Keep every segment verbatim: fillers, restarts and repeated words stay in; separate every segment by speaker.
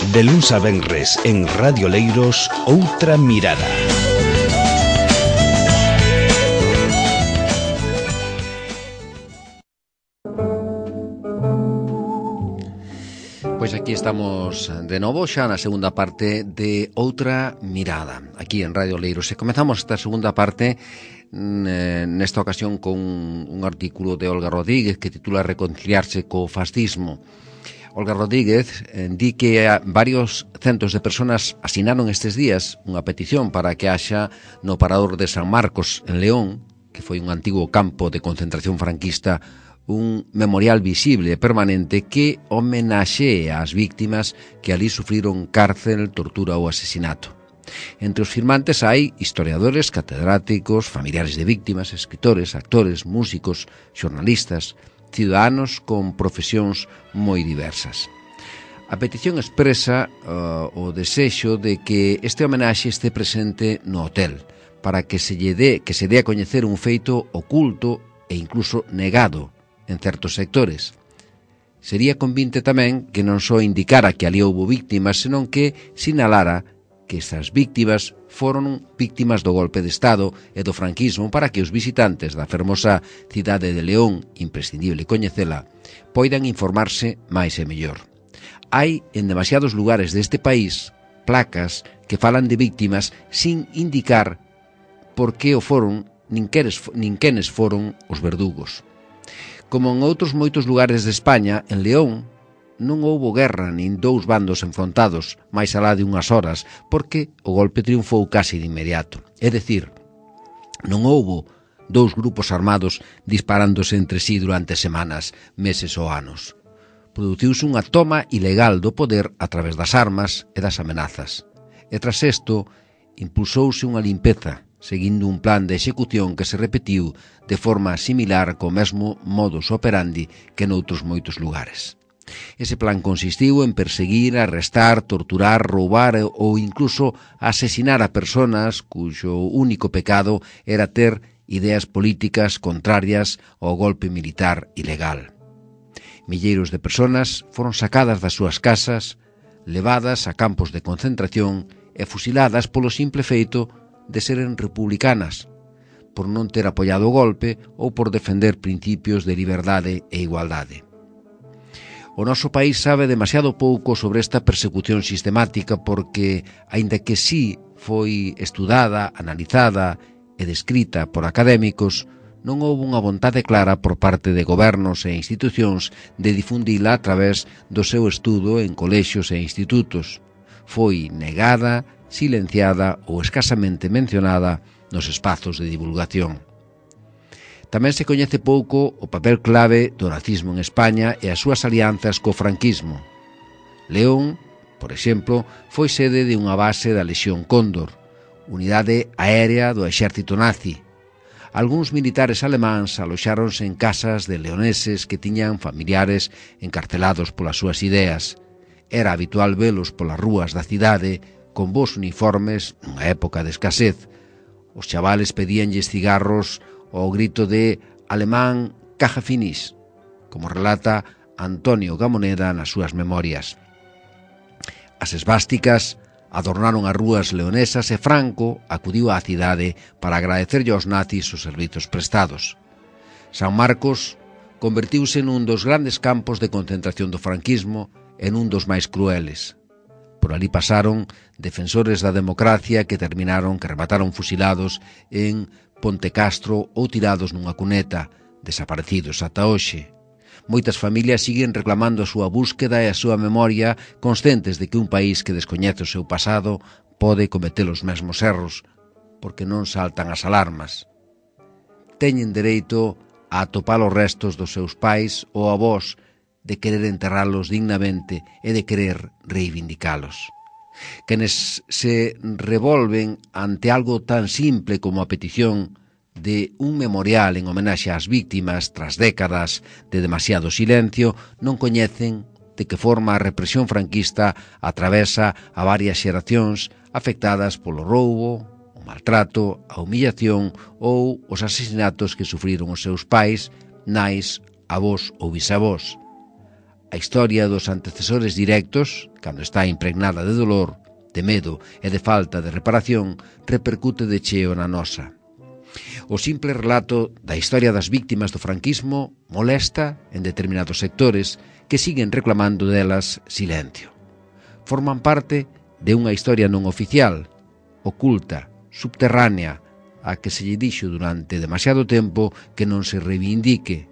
Speaker 1: De luns a venres en Radio Leiros, Outra Mirada.
Speaker 2: Pois aquí estamos de novo xa na segunda parte de Outra Mirada, aquí en Radio Leiros. E comezamos esta segunda parte nesta ocasión con un artículo de Olga Rodríguez que titula Reconciliarse co fascismo. Olga Rodríguez eh, di que varios centos de personas asinaron estes días unha petición para que haxa no Parador de San Marcos en León, que foi un antigo campo de concentración franquista, un memorial visible e permanente que homenaxee ás víctimas que ali sufriron cárcel, tortura ou asesinato. Entre os firmantes hai historiadores, catedráticos, familiares de víctimas, escritores, actores, músicos, xornalistas, ciudadanos con profesións moi diversas. A petición expresa uh, o desexo de que este homenaxe este presente no hotel, para que se lle dé, que se dé a coñecer un feito oculto e incluso negado en certos sectores. Sería convinte tamén que non só indicara que ali houbo víctimas, senón que sinalara que estas víctimas foron víctimas do golpe de Estado e do franquismo para que os visitantes da fermosa cidade de León, imprescindible coñecela, poidan informarse máis e mellor. Hai en demasiados lugares deste país placas que falan de víctimas sin indicar por que o foron nin quenes, nin quenes foron os verdugos. Como en outros moitos lugares de España, en León non houbo guerra nin dous bandos enfrontados máis alá de unhas horas, porque o golpe triunfou case de inmediato. É dicir, non houbo dous grupos armados disparándose entre sí durante semanas, meses ou anos. Produciuse unha toma ilegal do poder a través das armas e das amenazas. E tras isto, impulsouse unha limpeza, seguindo un plan de execución que se repetiu de forma similar co mesmo modus operandi que noutros moitos lugares. Ese plan consistiu en perseguir, arrestar, torturar, roubar ou incluso asesinar a persoas cuxo único pecado era ter ideas políticas contrarias ao golpe militar ilegal. Milleiros de persoas foron sacadas das súas casas, levadas a campos de concentración e fusiladas polo simple feito de seren republicanas, por non ter apoiado o golpe ou por defender principios de liberdade e igualdade. O noso país sabe demasiado pouco sobre esta persecución sistemática porque, aínda que sí foi estudada, analizada e descrita por académicos, non houve unha vontade clara por parte de gobernos e institucións de difundila a través do seu estudo en colexios e institutos. Foi negada, silenciada ou escasamente mencionada nos espazos de divulgación. Tamén se coñece pouco o papel clave do nazismo en España e as súas alianzas co franquismo. León, por exemplo, foi sede de unha base da Lexión Cóndor, unidade aérea do exército nazi. Algúns militares alemáns aloxáronse en casas de leoneses que tiñan familiares encarcelados polas súas ideas. Era habitual velos polas rúas da cidade con bons uniformes nunha época de escasez. Os chavales pedíanlles cigarros ao grito de alemán caja finis, como relata Antonio Gamoneda nas súas memorias. As esvásticas adornaron as rúas leonesas e Franco acudiu á cidade para agradecerlle aos nazis os servizos prestados. San Marcos convertiuse nun dos grandes campos de concentración do franquismo e nun dos máis crueles. Por ali pasaron defensores da democracia que terminaron, que remataron fusilados en Ponte Castro ou tirados nunha cuneta, desaparecidos ata hoxe. Moitas familias siguen reclamando a súa búsqueda e a súa memoria, conscientes de que un país que descoñece o seu pasado pode cometer os mesmos erros, porque non saltan as alarmas. Teñen dereito a atopar os restos dos seus pais ou avós, de querer enterralos dignamente e de querer reivindicalos. Quenes se revolven ante algo tan simple como a petición de un memorial en homenaxe ás víctimas tras décadas de demasiado silencio non coñecen de que forma a represión franquista atravesa a varias xeracións afectadas polo roubo, o maltrato, a humillación ou os asesinatos que sufriron os seus pais, nais, avós ou bisavós. a historia dos antecesores directos, cando está impregnada de dolor, de medo e de falta de reparación, repercute de cheo na nosa. O simple relato da historia das víctimas do franquismo molesta en determinados sectores que siguen reclamando delas silencio. Forman parte de unha historia non oficial, oculta, subterránea, a que se lle dixo durante demasiado tempo que non se reivindique.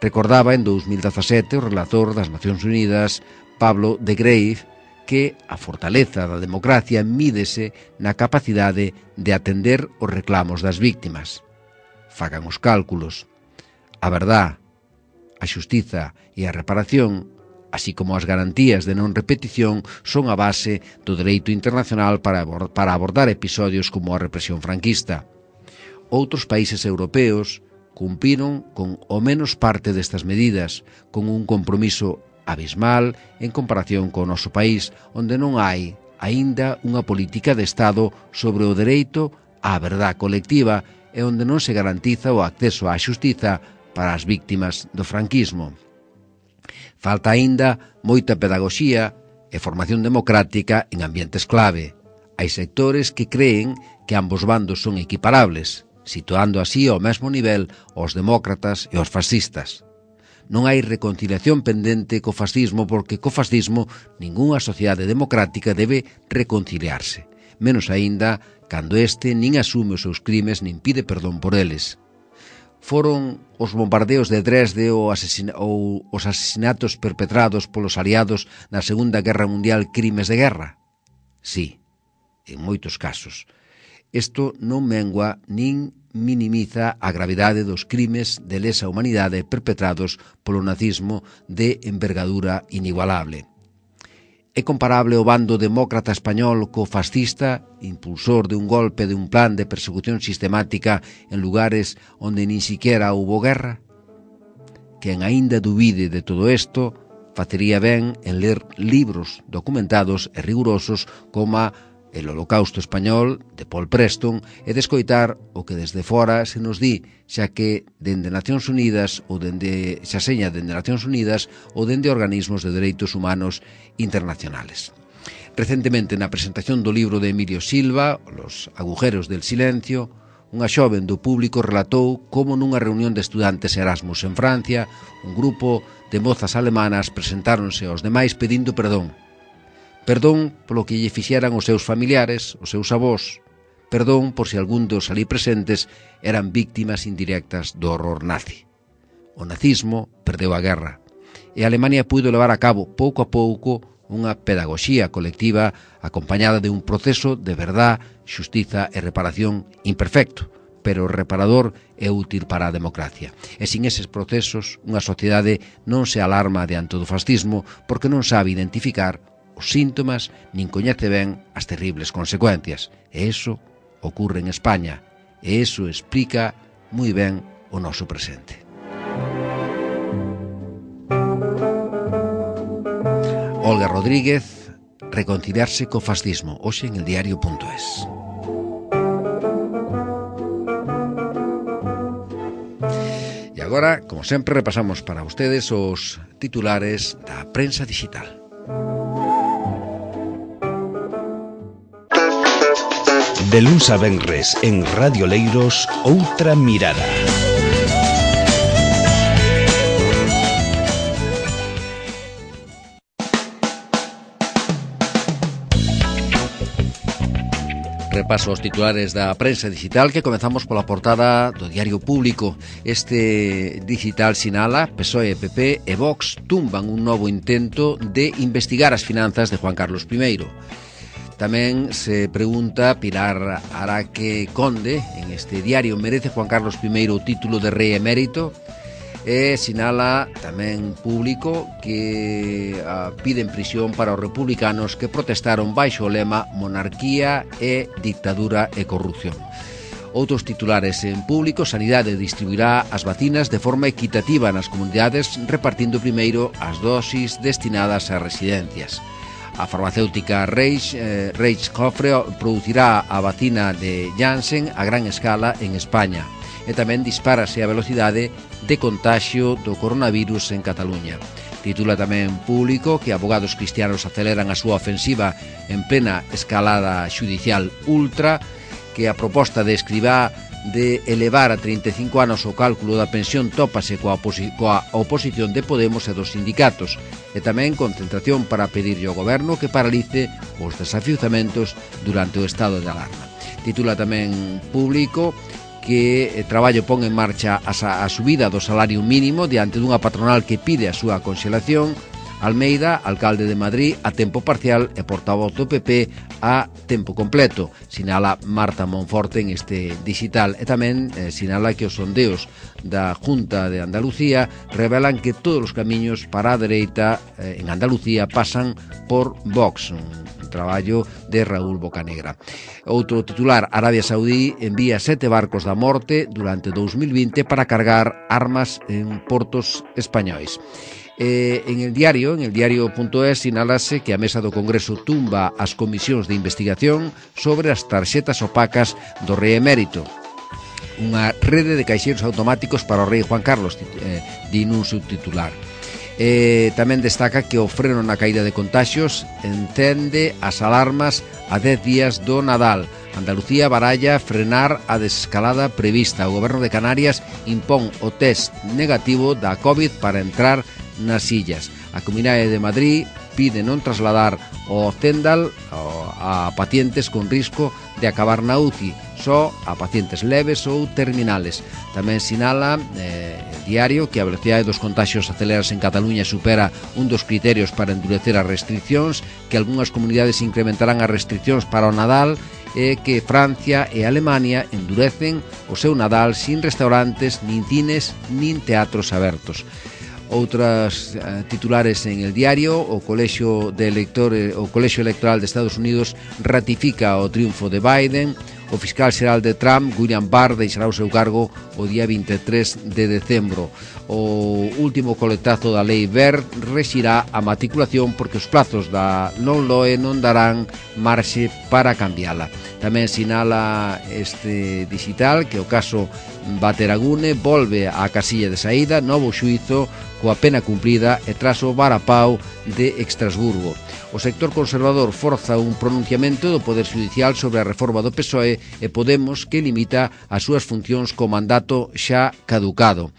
Speaker 2: Recordaba en dous mil dezasete o relator das Nacións Unidas, Pablo de Greve, que a fortaleza da democracia mídese na capacidade de atender os reclamos das víctimas. Fagan os cálculos. A verdad, a xustiza e a reparación, así como as garantías de non repetición, son a base do dereito internacional para abordar episodios como a represión franquista. Outros países europeos cumpriron con o menos parte destas medidas, con un compromiso abismal en comparación co noso país, onde non hai aínda unha política de Estado sobre o dereito á verdad colectiva e onde non se garantiza o acceso á xustiza para as víctimas do franquismo. Falta aínda moita pedagoxía e formación democrática en ambientes clave. Hai sectores que creen que ambos bandos son equiparables, situando así ao mesmo nivel os demócratas e os fascistas. Non hai reconciliación pendente co fascismo porque co fascismo ningunha sociedade democrática debe reconciliarse, menos aínda cando este nin asume os seus crimes nin pide perdón por eles. Foron os bombardeos de Dresde ou, asesina- ou os asesinatos perpetrados polos aliados na Segunda Guerra Mundial crimes de guerra? Sí, en moitos casos. Isto non mengua nin minimiza a gravidade dos crimes de lesa humanidade perpetrados polo nazismo de envergadura inigualable. É comparable o bando demócrata español co fascista, impulsor de un golpe de un plan de persecución sistemática en lugares onde nin siquiera houbo guerra? Quen aínda dubide de todo isto, facería ben en ler libros documentados e rigurosos como El Holocausto Español, de Paul Preston, e descoitar o que desde fora se nos di, xa que dende Nacións Unidas ou dende xa seña dende Nacións Unidas ou dende organismos de dereitos humanos internacionales. Recentemente, na presentación do libro de Emilio Silva, Los agujeros del silencio, unha xoven do público relatou como nunha reunión de estudantes Erasmus en Francia, un grupo de mozas alemanas presentáronse aos demais pedindo perdón. Perdón polo que lle fixeran os seus familiares, os seus avós. Perdón por se algún dos ali presentes eran víctimas indirectas do horror nazi. O nazismo perdeu a guerra e a Alemania puido levar a cabo pouco a pouco unha pedagoxía colectiva acompañada de un proceso de verdad, xustiza e reparación imperfecto, pero reparador e útil para a democracia. E sin eses procesos, unha sociedade non se alarma diante do fascismo porque non sabe identificar os síntomas nin coñece ben as terribles consecuencias. E iso ocurre en España. E iso explica moi ben o noso presente. Olga Rodríguez, reconciliarse co fascismo, hoxe en el diario punto es. E agora, como sempre, repasamos para ustedes os titulares da prensa digital.
Speaker 1: De luns a venres en Radio Leiros, Outra Mirada.
Speaker 2: Repaso os titulares da prensa digital que comezamos pola portada do Diario Público. Este digital sinala P S O E, P P e Vox tumban un novo intento de investigar as finanzas de Juan Carlos primeiro. Tamén se pregunta Pilar Araque Conde en este diario: merece Juan Carlos primeiro o título de rei emérito? E sinala tamén Público que uh, piden prisión para os republicanos que protestaron baixo o lema monarquía e dictadura e corrupción. Outros titulares en Público: Sanidade distribuirá as vacinas de forma equitativa nas comunidades, repartindo primeiro as dosis destinadas ás residencias. A farmacéutica Reich, eh, Reich Cofre producirá a vacina de Janssen a gran escala en España. E tamén dispárase a velocidade de contaxio do coronavirus en Cataluña. Titula tamén Público que abogados cristianos aceleran a súa ofensiva en plena escalada xudicial ultra, que a proposta de Escrivá de elevar a trinta e cinco anos o cálculo da pensión tópase coa, oposi coa oposición de Podemos e dos sindicatos, e tamén concentración para pedirlle ao goberno que paralice os desafiuzamentos durante o estado de alarma. Titula tamén Público que eh, Traballo pon en marcha a, a subida do salario mínimo diante dunha patronal que pide a súa conxelación. Almeida, alcalde de Madrid, a tempo parcial e portavoz do P P a tempo completo, sinala Marta Monforte en este digital, e tamén eh, sinala que os sondeos da Junta de Andalucía revelan que todos os camiños para a dereita eh, en Andalucía pasan por Vox, un traballo de Raúl Bocanegra. Outro titular, Arabia Saudí envía sete barcos da morte durante dous mil vinte para cargar armas en portos españois. Eh, en el diario, en el diario.es, sinalase que a Mesa do Congreso tumba as comisións de investigación sobre as tarxetas opacas do rei emérito. Unha rede de caixeiros automáticos para o rei Juan Carlos, eh, di nun subtitular. Eh, tamén destaca que o freno na caída de contaxios entende as alarmas a dez días do Nadal. Andalucía baralla frenar a desescalada prevista. O goberno de Canarias impón o test negativo da COVID para entrar nas illas. A Comunidade de Madrid pide non trasladar o Zendal a pacientes con risco de acabar na U C I, só a pacientes leves ou terminales. Tamén sinala eh, diario que a velocidade dos contaxios acelerados en Cataluña supera un dos criterios para endurecer as restriccións, que algunhas comunidades incrementarán as restriccións para o Nadal e que Francia e Alemania endurecen o seu Nadal sin restaurantes, nin cines, nin teatros abertos. Outras uh, titulares en el diario, o Colexio de Electores, o Colexio Electoral de Estados Unidos ratifica o triunfo de Biden. O fiscal xeral de Trump, William Barr, deixará o seu cargo o día vinte e tres de decembro. O último coletazo da lei Wert rexirá a matriculación porque os plazos da non loe non darán marxe para cambiala. Tamén sinala este digital que o caso Bateragune volve á casilla de saída, novo xuízo coa pena cumplida e tras o varapau de Estrasburgo. O sector conservador forza un pronunciamento do Poder Judicial sobre a reforma do P S O E e Podemos que limita as súas funcións co mandato xa caducado.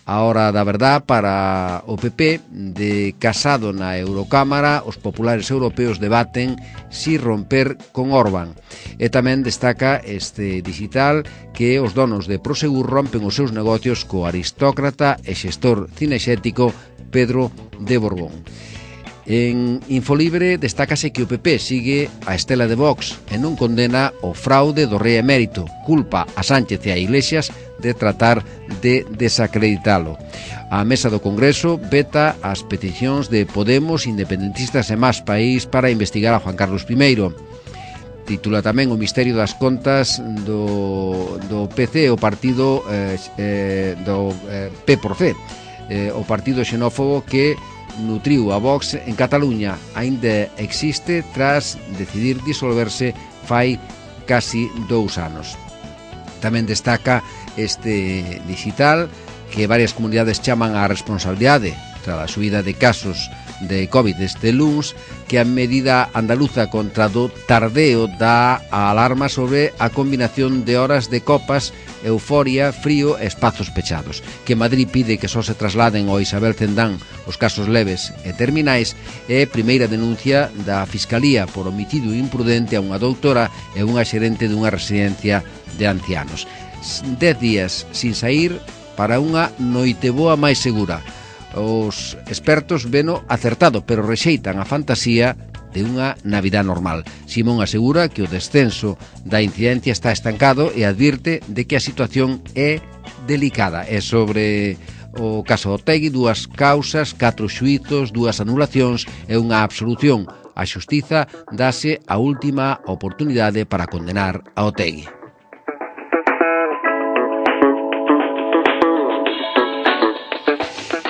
Speaker 2: A hora da verdad para o P P, de Casado na Eurocámara, os populares europeos debaten si romper con Orbán. E tamén destaca este digital que os donos de Prosegur rompen os seus negocios co aristócrata e xestor cinexético Pedro de Borbón. En Infolibre destácase que o P P sigue a estela de Vox e non condena o fraude do rei emérito, culpa a Sánchez e a Iglesias de tratar de desacreditalo. A Mesa do Congreso veta as peticións de Podemos, independentistas e Más País para investigar a Juan Carlos primeiro. Titula tamén o misterio das contas do, do P C, o partido eh, eh, do eh, P por C, eh, o partido xenófobo que nutriu a Vox en Cataluña, aínda existe tras decidir disolverse fai casi dous anos. Tamén destaca este digital que varias comunidades chaman á responsabilidade tras a subida de casos de COVID este luns, que a medida andaluza contra do tardeo dá a alarma sobre a combinación de horas de copas, euforia, frío e espazos pechados, que Madrid pide que só se trasladen ao Isabel Cendán os casos leves e terminais, e primeira denuncia da Fiscalía por homicidio imprudente a unha doutora e unha xerente dunha residencia de ancianos. Dez días sin saír para unha noiteboa máis segura. Os expertos veno acertado, pero rexeitan a fantasía de unha Navidad normal. Simón asegura que o descenso da incidencia está estancado e advirte de que a situación é delicada. É sobre o caso Otegui, dúas causas, catro xuizos, dúas anulacións e unha absolución. A xustiza dase a última oportunidade para condenar a Otegui.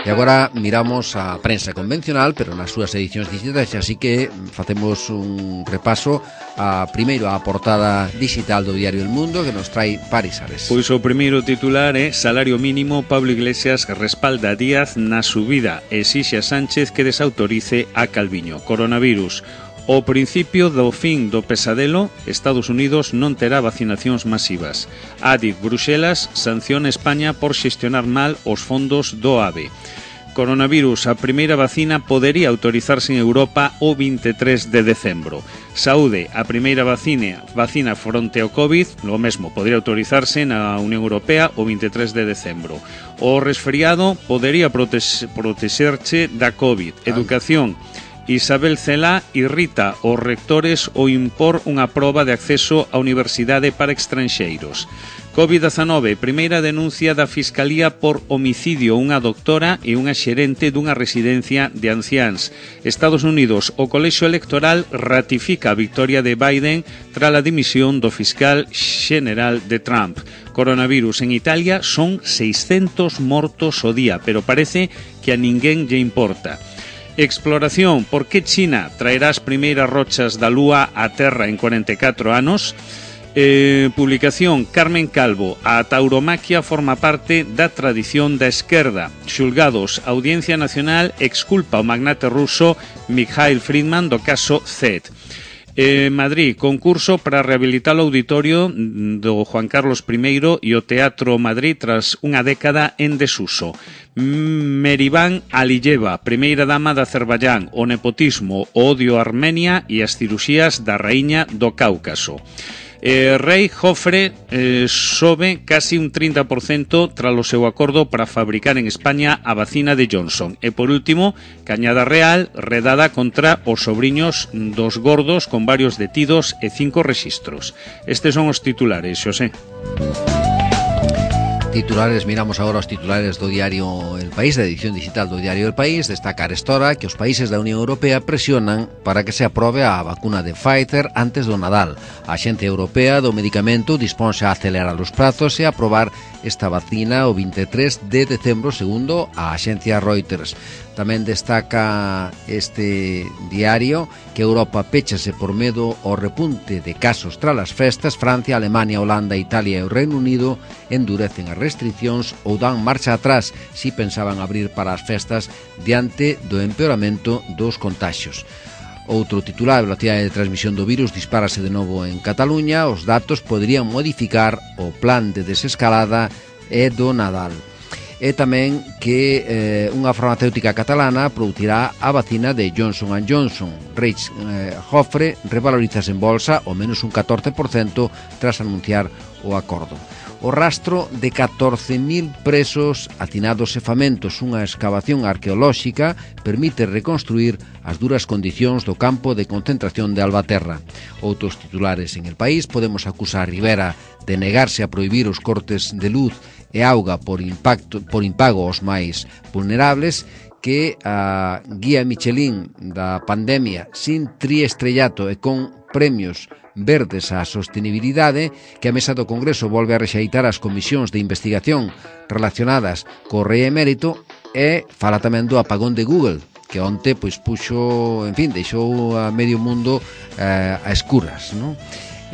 Speaker 2: E agora miramos a prensa convencional, pero nas súas edicións digitais, así que facemos un repaso a primeiro a portada digital do diario El Mundo, que nos trae Paris Ares.
Speaker 3: Pois o primeiro titular é Salario mínimo, Pablo Iglesias respalda a Díaz na subida, exixe a Sánchez que desautorice a Calviño. Coronavirus. O principio do fin do pesadelo, Estados Unidos non terá vacinacións masivas. Adif Bruxelas sanciona España por xestionar mal os fondos do AVE. Coronavirus, a primeira vacina podería autorizarse en Europa o veintitrés de decembro. Saúde, a primeira vacina, vacina fronte ao COVID, lo mesmo, podería autorizarse na Unión Europea o veintitrés de decembro. O resfriado podería prote- protexerche da COVID. Educación, Isabel Cela irrita os rectores ao impor unha proba de acceso á universidade para estranxeiros. covid diecinueve, primeira denuncia da Fiscalía por homicidio unha doctora e unha xerente dunha residencia de anciáns. Estados Unidos, o colexio electoral ratifica a victoria de Biden tras a dimisión do fiscal xeneral de Trump. Coronavirus en Italia son seiscentos mortos o día, pero parece que a ninguén lle importa. Exploración, por que China traerá as primeiras rochas da Lúa á Terra en cuarenta e catro anos? Eh, publicación, Carmen Calvo, a tauromaquia forma parte da tradición da esquerda. Xulgados, Audiencia Nacional exculpa o magnate ruso Mikhail Friedman do caso Z E T. Eh, Madrid, concurso para rehabilitar o auditorio do Juan Carlos primeiro e o Teatro Madrid tras unha década en desuso. Merivan Aliyeva, primeira dama de Azerbaiyán, o nepotismo, o odio a Armenia e as cirurxías da raíña do Cáucaso. Eh, Rei Jofre eh, sobe casi un trinta por cento tras o seu acordo para fabricar en España a vacina de Johnson. E por último, Cañada Real, redada contra os sobriños dos gordos con varios detidos e cinco rexistros. Estes son os titulares, Xosé.
Speaker 2: Titulares, miramos agora os titulares do diario El País, da edición digital do diario El País. Destaca arestora que os países da Unión Europea presionan para que se aprobe a vacuna de Pfizer antes do Nadal. A Axencia Europea do Medicamento disponse a acelerar os prazos e a aprobar esta vacina o veintitrés de decembro, segundo a axencia Reuters. Tamén destaca este diario que Europa péchase por medo ao repunte de casos tras as festas. Francia, Alemania, Holanda, Italia e o Reino Unido endurecen as restriccións ou dan marcha atrás si pensaban abrir para as festas diante do empeoramento dos contaxios. Outro titular, a velocidade de transmisión do virus dispárase de novo en Cataluña. Os datos poderían modificar o plan de desescalada e do Nadal. E tamén que eh, unha farmacéutica catalana producirá a vacina de Johnson and Johnson. Reich eh, Jofre revalorizase en bolsa o menos un catorce por cento tras anunciar o acordo. O rastro de catorce mil presos hacinados e famentos. Unha excavación arqueolóxica permite reconstruir as duras condicións do campo de concentración de Albaterra. Outros titulares en El País. Podemos acusar a Rivera de negarse a prohibir os cortes de luz e auga por impacto por impago aos máis vulnerables, que a guía Michelin da pandemia sin triestrellato e con premios verdes á sostenibilidade, que a mesa do Congreso volve a rexeitar as comisións de investigación relacionadas co Rei Emérito, e fala tamén do apagón de Google, que onte pois puxo, en fin, deixou a medio mundo eh, a escuras, non?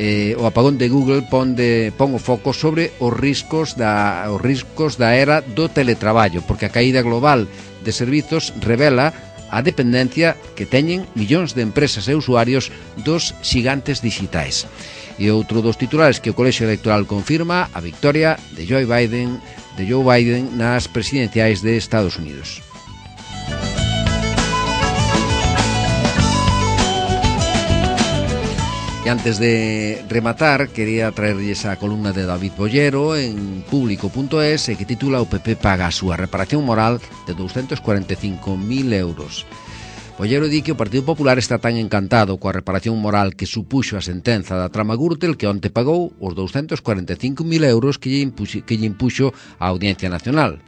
Speaker 2: Eh, o apagón de Google pon, de, pon o foco sobre os riscos da os riscos da era do teletraballo, porque a caída global de servizos revela a dependencia que teñen millóns de empresas e usuarios dos xigantes digitais. E outro dos titulares, que o Colexio Electoral confirma a victoria de Joe Biden, de Joe Biden nas presidenciais de Estados Unidos. E antes de rematar, quería traerlles a columna de David Bollero en público punto es, que titula "O P P paga a súa reparación moral de doscientos cuarenta e cinco mil euros". Bollero di que o Partido Popular está tan encantado coa reparación moral que supuxo a sentenza da trama Gürtel que onte pagou os doscientos cuarenta e cinco mil euros que lle impuxo, que lle impuxo a Audiencia Nacional.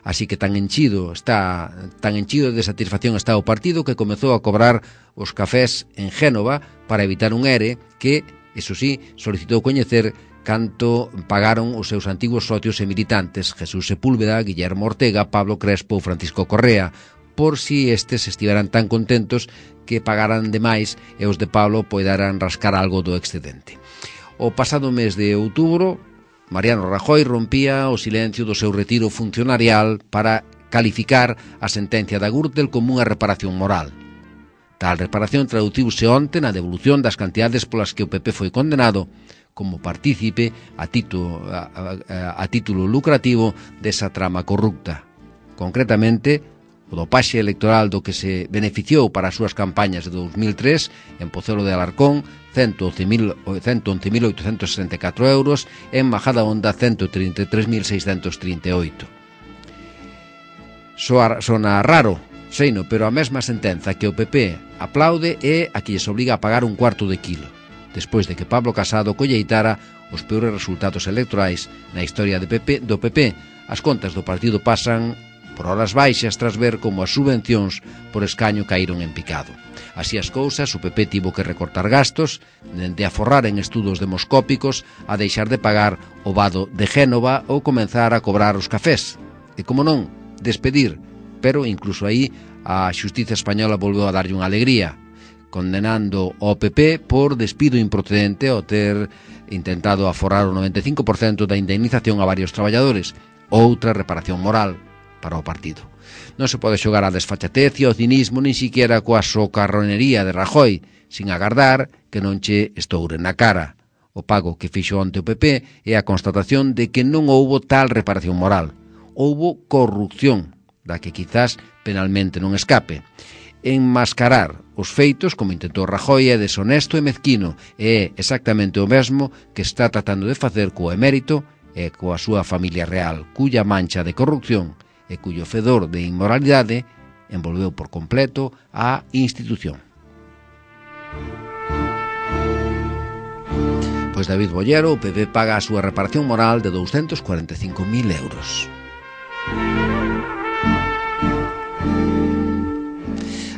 Speaker 2: Así que tan enchido está tan enchido de satisfacción está o partido que comezou a cobrar os cafés en Génova para evitar un E R E que, eso sí, solicitou coñecer canto pagaron os seus antigos socios e militantes Jesús Sepúlveda, Guillermo Ortega, Pablo Crespo ou Francisco Correa, por si estes estiveran tan contentos que pagaran demais e os de Pablo poidaran rascar algo do excedente. O pasado mes de outubro, Mariano Rajoy rompía o silencio do seu retiro funcionarial para calificar a sentencia da Gürtel como unha reparación moral. Tal reparación traduciuse onte na devolución das cantidades polas que o P P foi condenado como partícipe a título, a, a, a título lucrativo desa trama corrupta. Concretamente, o dopaxe electoral do que se beneficiou para as súas campañas de dos mil tres en Pozuelo de Alarcón, ciento once mil oitocentos sesenta e catro euros, en Majadahonda, ciento trinta e tres mil seiscentos trinta e oito. Soa, sona raro, seino, pero a mesma sentenza que o P P aplaude é a que lles obriga a pagar un cuarto de quilo, despois de que Pablo Casado colleitara os peores resultados electorais na historia de P P, do P P. As contas do partido pasan por horas baixas tras ver como as subvencións por escaño caíron en picado. Así as cousas, o P P tivo que recortar gastos, dende aforrar en estudos demoscópicos a deixar de pagar o vado de Génova ou comenzar a cobrar os cafés. E, como non, despedir, pero incluso aí a xustiza española volveu a darlle unha alegría, condenando ao P P por despido improcedente ao ter intentado aforrar o noventa e cinco por cento da indemnización a varios traballadores, outra reparación moral para o partido. Non se pode xogar a desfachatez e ao cinismo nin siquiera coa socarronería de Rajoy, sin agardar que non che estoure na cara. O pago que fixo onte o P P é a constatación de que non houbo tal reparación moral. Houbo corrupción, da que quizás penalmente non escape. Enmascarar os feitos, como intentou Rajoy, é deshonesto e mezquino, e é exactamente o mesmo que está tratando de facer co emérito e coa súa familia real, cuya mancha de corrupción e cuyo fedor de inmoralidade envolveu por completo a institución. Pois David Bollero, o P P paga a súa reparación moral de douscentos cuarenta e cinco mil euros.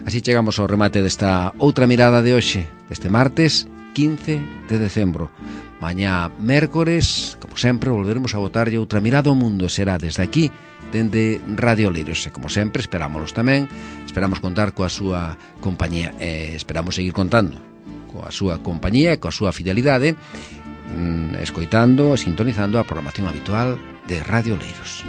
Speaker 2: Así chegamos ao remate desta outra mirada de hoxe, este martes quince de decembro. Mañá mércores, como sempre, volveremos a botarlle outra mirada ao mundo. Será desde aquí, dende Radio Leiros. E como sempre, esperámonos tamén, esperamos contar coa súa compañía. E esperamos seguir contando coa súa compañía e coa súa fidelidade, mm, escoitando e sintonizando a programación habitual de Radio Leiros.